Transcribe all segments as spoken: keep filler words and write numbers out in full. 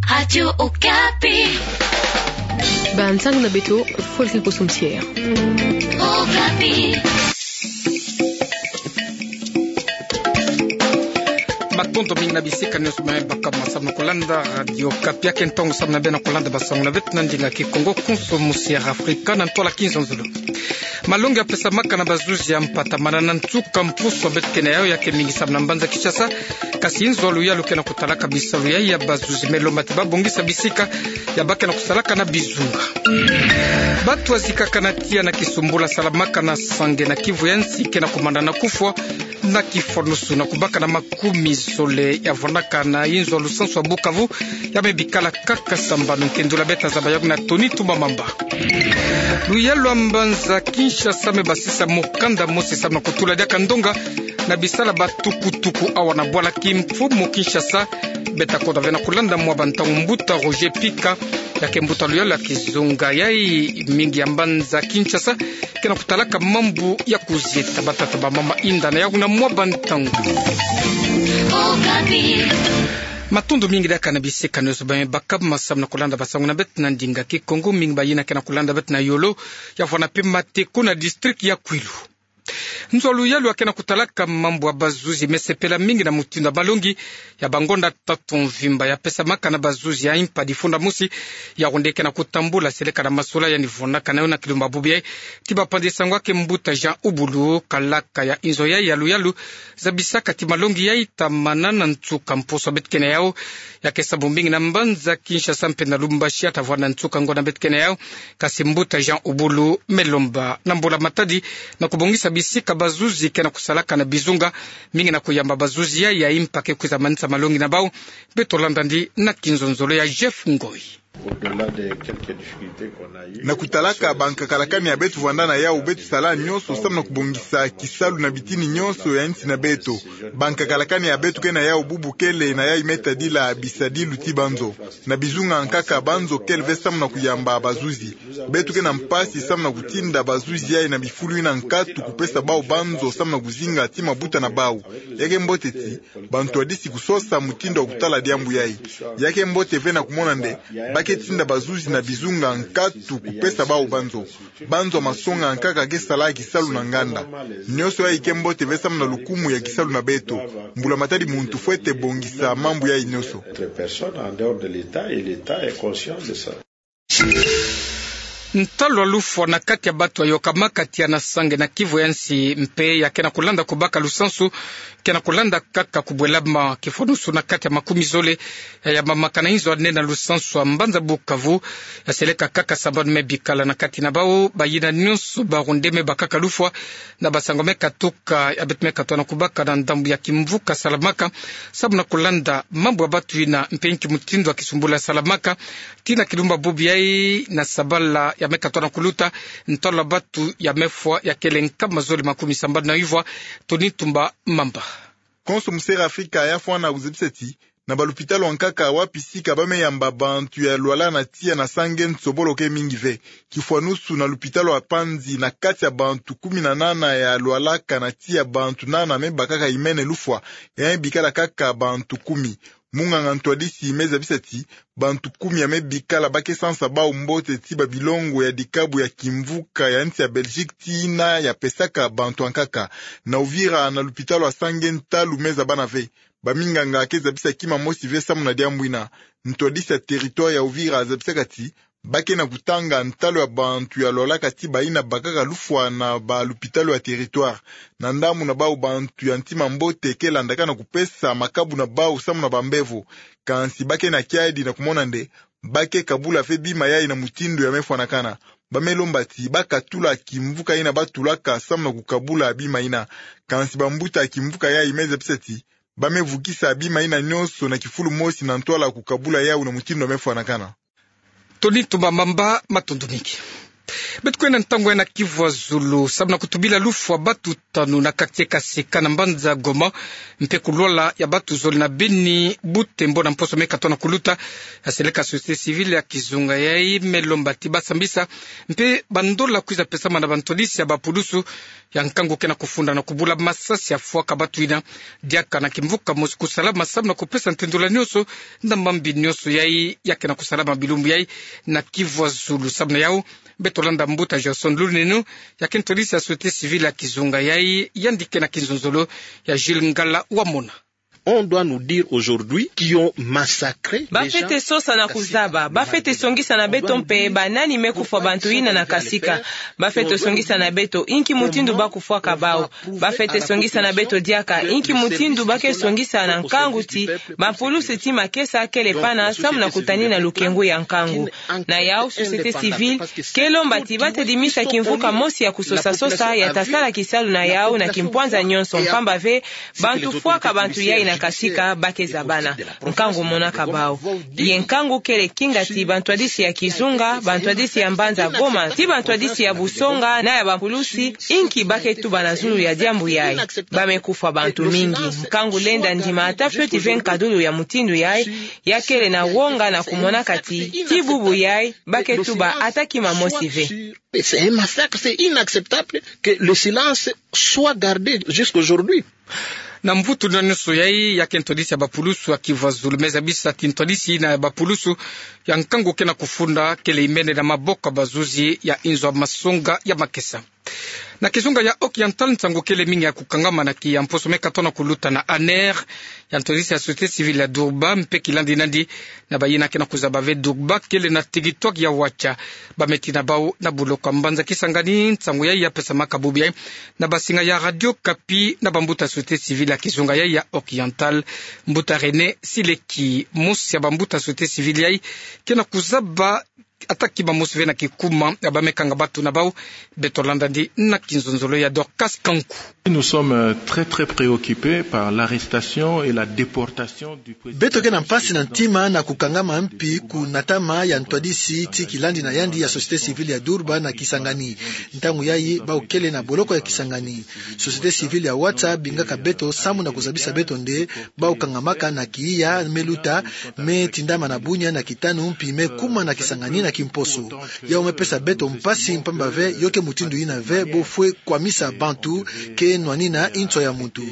Radio Okapi. Bansang na beto, folklore kosomsier. Okapi. Matondo mingi na bisika nyonso bamai baka ma samu na kolanda Radio Okapi. Ya ke ntangu samu na beno kolanda basango na beto na ndinga Kikongo, kosomsier Afrika na ntwala kizonzolo. Malongi ya pesamaka na bazuzi ya mpata manana nsuka mpusu beto ke na yau ya ke mingi samu na mbanza Kinshasa. Kasi nzo ya luyalu ke na kutalaka bisalu yai ya bazuzi me lomba ti babongisa bisika ya ba ke na kusalaka na bizunga. Batu wazikaka na tiya na kisumbula salamaka na Sange na Kivu ya nsi ke na kumanda na kufwa na kifwanusu na kubaka na makumi zole ya vwandaka na inzo ya lusansu ya Bukavu ya me bikala kaka sambanu. Nkendula beta zaba yau na Tony Tumba Mamba. Luyalu ya mbanza Kinshasa me basisa mokanda mosi samu na kutula diaka ndonga na bisala batukutuku awa na bwala Kimfumu Kinshasa. Beta koda ve na kulanda mwa bantangu mbuta Roger Pika, ya ke mbuta luyalu ya kizunga yai mingi ya mbanza Kinshasa, ke na kutalaka mambu ya kuzieta. Batata bamama, inda na yau na mwa bantangu. Matondo mingi diaka na bisika nyonso bamai baka ma samu na kulanda basango na beto na ndinga Kikongo, mingi bayina ke na kulanda beto na yolo ya vwanda pe Mateko na district ya Kwilu. Nzo ya luyalu ya ke na kutalaka mambu ya bazuzi me sepela mingi na mutindu ya malongi ya bangonda tatu mvimba ya pesamaka na bazuzi ya impa difunda mosi, ya wonde ke na kutambula seleka na masola yandi vwandaka na yo na kilumba bubu yai. Ti bapanzi sango ya ke mbuta Jean Ubulu, kalaka ya inzo yai ya luyalu, zabisaka ti malongi yai ta manana nsuka mpusu beto ke na yau, ya ke samu mingi na mbanza Kinshasa mpe na Lubumbashi ya ta vwanda nsuka ngonda beto ke na yau. Kasi mbuta Jean Ubulu me lomba na mbula matadi na kubongisa bisika bazuzi ke na kusalaka na bizunga, mingi na kuyamba bazuzi yai ya impa ke kwiza manisa malongi na bau. Beto landa yandi na kinzonzolo ya Jeff Ngoi. Au-delà de quelques difficultés qu'on a eues, na kutalaka bankaka lakani ya beto vwanda na yau, beto sala nyonso samu na kubongisa kisalu na bitini nyonso ya nsi na beto. Bankaka lakani ya beto ke na yau bubu kele na yai me tadila bisadilu ti banzo. Na bizunga nkaka banzo kele ve samu na kuyamba bazuzi. Beto ke na mpasi samu na kutinda bazuzi yai na bifulu ina nkatu kupesa bau banzo samu na kuzinga ti mabuta na bau. Ya ke mbote ti bantwadisi kusosa mutindu ya kutala diambu yai. Ya ke mbote ve na kumona nde ba ke tinda bazuzi na bizunga nkatu kupesa bau banzo. Banzo masonga nkaka ke sala kisalu na nganda. Nyonso yai ke mbote ve samu na lukumu ya kisalu na beto. Mbula matadi muntu fwete bongisa mambu yai nyonso. Entre personne en dehors de l'État et l'État est conscient de ça. Ntalu ya lufwa na kati ya batu ya yokamaka tiya na Sange na Kivu ya nsi mpe ya ke na kulanda kubaka lusansu, ke na kulanda kaka kubwelama kifwanusu na kati ya makumi zole ya yambamaka na inzo ya nene ya lusansu ya mbanza Bukavu, ya seleka kaka sambanu me bikala na kati na bau. Bayina nyonso baronde me bakaka lufwa na basango me katuka ya beto me katwa na kubaka na ndambu ya kimvuka salamaka samu na kulanda mambu ya batu ina mpe nki mutindu ya kisumbula salamaka. Tii na kilumba bubu yai na sabala ya me katwa na kuluta, ntalu ya batu ya me fwa ya kele nkama zole makumi sambanu na ivwa. Tony Tumba Mamba. Konso Musera Afrika ya fwana kuzebisa ti na balupitalu ankaka wapi sika ba me yamba bantu ya lwala na tiya na Sange nsobolo ke mingi ve. Kifwanusu na lupitalu ya Panzi, na kati ya bantu kumi na nana ya lwalaka, na tiya bantu nana me bakaka imene lufwa, ya me bikala kaka bantu kumi. Munganga ntwadisi me zabisa ti bantu kumi ya me bikala ba ke sansa bau mbote ti babilongo ya dikabu ya kimvuka ya nsi ya Belgique tii ina ya pesaka bantu ankaka. Na Uvira na lupitalu ya Sange ntalu me zabana ve. Baminganga ke zabisa kima mosi ve samu na diambu ina. Ntwadisi ya territoire ya Uvira zabisaka ti ba ke na kutanga ntalu ya bantu ya lwalaka ti bayina bakaka lufwa na balupitalu ya territoire. Na ndambu na bau bantu ya ntima mbote ke landaka na kupesa makabu na bau samu na bambevo. Kansi ba ke na kiadi na kumona nde ba ke kabula ve bima yai na mutindu ya me fwanakana. Ba me lomba ti ba katula kimvuka ina ba tulaka samu na kukabula bima ina. Kansi bambuta kimvuka yai me zabisa ti ba me vukisa bima ina nyonso na kifulu mosi na ntwala kukabula yau na mutindu ya me fwanakana. Tony Tumba Mamba, matondo mingi. Beto kwe na ntangu ya na Kivu ya Zulu, samu na kutubila lufwa batu tanu na quartier Kasika na mbanza Goma, mpe kulwala ya batu zole na Beni, Butembo na mposo meka tona kuluta, ya seleka société civile ya kizunga yai me lomba ti ba sambisa mpe bandola kwiza pesama na bantwadisi ya bapulusu ya nkangu ke na kufunda na kubula masasi ya fwaka batu yina diaka na kimvuka mosi kusalama samu na kupesa ntendola nyonso na mambi nyonso yai ya ke na kusalama bilumbu yai na Kivu ya Zulu. Samu na yau, beto landa mbuta Johnson Lunenu, ya ke ntwadisi ya société civile ya kizunga yai, yandi ke na kinzonzolo ya Jules Ngala Wamona. On doit nous dire aujourd'hui qui ont massacré des gens. Ba fwete sosa na kuzaba, ba fwete songisa na beto mpe banani me kufwa bantu yina na Kasika. Ba fwete songisa na beto inki mutindu ba kufwaka bau. Ba fwete songisa na beto diaka inki mutindu ba ke songisa na nkangu ti bapulusu ti makesa kele pana samu na kutanina lukengu ya nkangu. Na yau, société civile ke lomba ti ba tadimisa kimvuka mosi ya kusosa sosa ya ta sala kisalu na yau na kimpwanza nyonso, mpamba ve bantu fwaka bantu yai na Kasika ba ke zabana. Nkangu monaka bau. Ye nkangu kele kinga ti bantwadisi ya kizunga, bantwadisi ya mbanza Goma, ti bantwadisi ya busonga na ya bapulusu, inki ba ke tuba na zulu ya diambu yai. Ba me kufwa bantu mingi. Nkangu lenda ndima ata fioti ve nkadulu ya mutindu yai, ya kele na wonga na kumonaka ti, ti bubu yai, ba ke tuba ata kima mosi ve. C'est un massacre, c'est inacceptable que le silence soit gardé jusqu'aujourd'hui. Na mvutu na nyonso yai, ya ke ntwadisi ya bapulusu ya Kivu ya Zulu me zabisa ti ntwadisi yina ya bapulusu ya nkangu ke na kufunda kele imene na maboko ya bazuzi ya inzo ya masonga ya makesa. Na kizunga ya Occidental, nsangu kele mingi ya kukangama na kiya mposo meka tona kuluta na ANR, ya ntwadisi ya société civile ya Durba, mpe kilandi nandi na bayina ke na kuzaba ve Durba kele na territoire ya Wacha. Ba me tina bau na boloko ya mbanza Kisangani. Nsangu yai ya pesamaka bubu yai na basinga ya Radio Okapi na bambuta société civile ya kizunga yai ya Occidental, mbuta René Sileki. Mosi ya bambuta société civile yai ke na kuzaba ata kima mosi ve na kikuma ya ba me kanga batu na bau. Beto landa ndi na kinzonzolo ya Dorcas Kanku. Nous sommes, euh, très, très préoccupés par l'arrestation et la déportation du président. Beto ke na mpasi na ntima na kukangama mpi kunatama ya ntwadisi ti kilandi na yandi ya société civile ya Durba na Kisangani. Ntangu yai bau kele na boloko ya Kisangani. Société civile ya Wacha bingaka beto samu na kuzabisa beto nde bau kangamaka na kiya me luta, me tindama na bunia na kitanu mpi me kuma na Kisangani na kimposo. Yau me pesa beto mpasi mpamba ve yo ke mutindu yina ve bo fwe kwamisa bantu ke nwanina inswa ya muntu.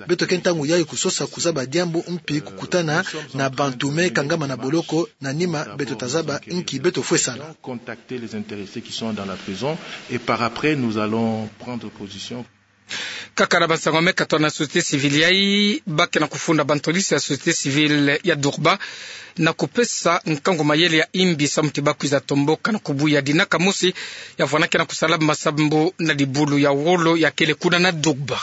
Beto ke ntangu yai kusosa kuzaba diambu mpi kukutana na bantu me kangama na boloko, na nima beto ta zaba inki beto fwe sala. Contacter les intéressés qui sont dans la prison et par après nous allons prendre position. Kaka na bansangu me katoa na société civile yai, ba ke na kufunda bantwadisi ya société civile ya Durba na kupesa nkangu mayele ya imbi samu ti ba kwiza tomboka na kubuya dinaka mosi ya vwanda ke na kusala masambu na dibulu ya wolo ya kele kuna na Durba.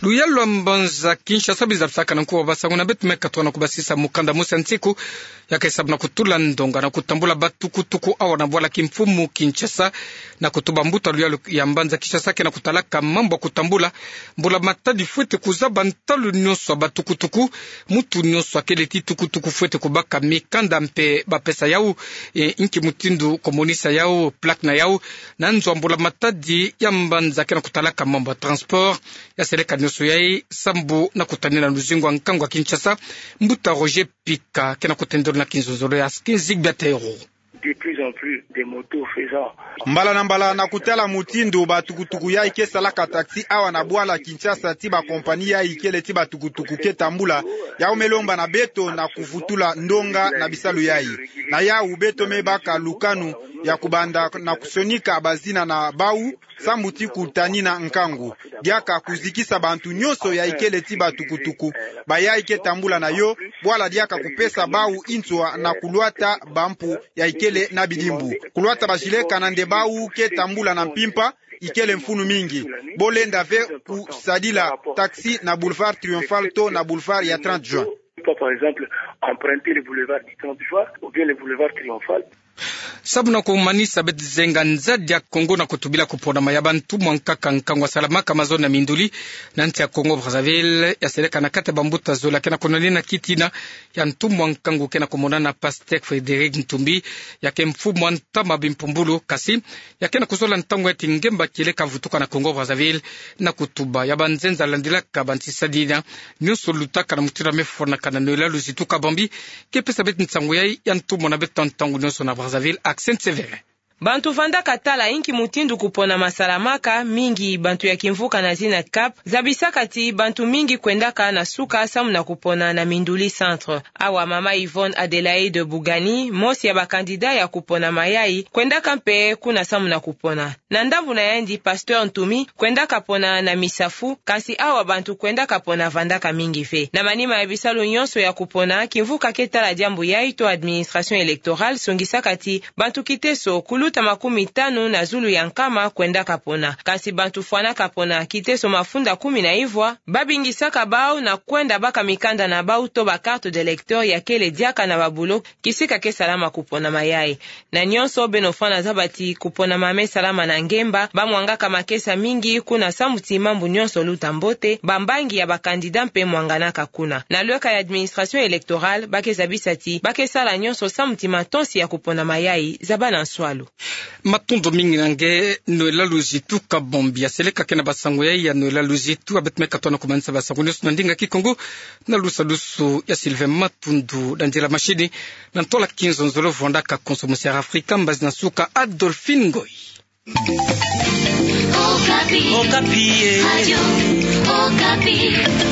Luyalu lwa mbanza Kinshasa bizabisaka na nkuwa basangu na beto me katoa na kubasisa mukanda mosi ya nsiku ya ke samu na kutula ndonga na kutambula batukutuku awa na bwala kimfumu Kinshasa, na kutuba mbuta luyalu ya mbanza Kinshasa ke na kutalaka mambu ya kutambula. Mbula-matadi fwete kuzaba ntalu nyonso ya batukutuku, muntu nyonso akele ti tukutuku fwete kubaka mikanda mpe ba pesa yau, e, inki mutindu kumonisa yau, plaque na yau, na nzo ya mbula-matadi ya mbanza ke na kutalaka mambu ya transport ya seleka nyonso yai, sambu na kutanina luzingu ya nkangu ya Kinshasa. Mbuta Roger Pika ke na kutendolo na kinzonzolo ya Skin Zigbia Tero. De plus en plus, des motos faisant. Mbala na mbala, na kutala mutindu batukutuku yai ke salaka taxi awa na bwala Kinshasa, ti bakompani yai kele ti batukutuku ke tambula, yau me lomba na beto na kuvutula ndonga na bisalu yai. Na yau beto me baka lukanu ya kubanda na kusonika bazina na bau, sambu ti kutanina nkangu. Diaka kuzikisa bantu nyonso yai kele ti batukutuku, bayai ke tambula na yo, bwala diaka kupesa bau inswa na kulwata bampu yai kele na bidimbu. Kulwata bajile kana nde bau ke tambula na mpimpa, ikele mfunu mingi. Bo lenda ve kusadila taxi na boulevard Triomphal to na boulevard ya trente juin. Pas, par exemple, emprunter le boulevard du trente juin ou bien le boulevard Triomphal. Samu na kumanisa beti zenga nzadi ya Kongo na kutubila kuponama ya bantumwa nkaka nkangu asalamaka mazono na minduli na nsi ya Kongo Brazzaville, ya seleka na kati ya bambuta zole ya ke na kunwanina kitina ya ntumwa nkangu ke na kumonana Pasteur Frédéric Ntumbi, ya ke mfumu a ntama bimpumbulu, kasi ya ke na kuzola ntangu ya ti ngemba kiele kavutuka na Kongo Brazzaville, na kutuba ya banzenza landilaka bansi sadina nionso lutaka na mutindu ya mefwanakana. Noëlla Luzitu Kabambi ke pesa beti nsangu yayi ya ntumwa na beto ntangu nionso na Brazzaville, Accent Sévérin. Bantu vandaka tala inki mutindu kuponama salamaka, mingi bantu ya kimvuka na zina Cap zabisaka ti bantu mingi kwendaka na suka samu na kupona na Minduli Centre. Awa mama Yvonne Adélaïde Bougani, mosi ya ba candidat ya kuponama yayi, kwendaka mpe kuna samu na kupona. Na ndambu na yandi, Pasteur Ntumbi kwendaka pona na Misafu, kasi awa bantu kwendaka pona vandaka mingi ve. Na manima ya bisalu nionso ya kupona, kimvuka ke tala diambu yayi to administration électorale songisaka ti bantu kiteso kuluta makumi tanu na zulu ya nkama kwendaka pona. Kasi bantu fwanaka pona kiteso mafunda kumi na ivwa, babingisaka bau na kwenda baka mikanda na bau to ba carte d'électeur ya kele diaka na ba bureau kisika ke salama kuponama yayi. Na nionso, beno fwana zaba ti kuponama me salama na ngemba, bamwangaka makesa mingi kuna samu ti mambu nionso luta mbote, bambangi ya ba candidat mpe mwanganaka kuna. Na lweka ya administration électorale, ba ke zabisa ti ba ke sala nionso samu ti matonsi ya kuponama yayi zaba na nswalu. Matondo mingi na nge, Noëlla Luzitu Kabambi. Ya seleka ke na basango yayi ya Noëlla Luzitu, a beti me katoa na kumanisa basango nionso na ndinga Kikongo na lusadusu ya Sylvain Matundu. Dandila mashini na ntola kinzonzolo vandaka konso musi ya Afrika, mbazi na nsuka Adolphine Ngoyi. Okapi. Okapi, eh. Radio Okapi.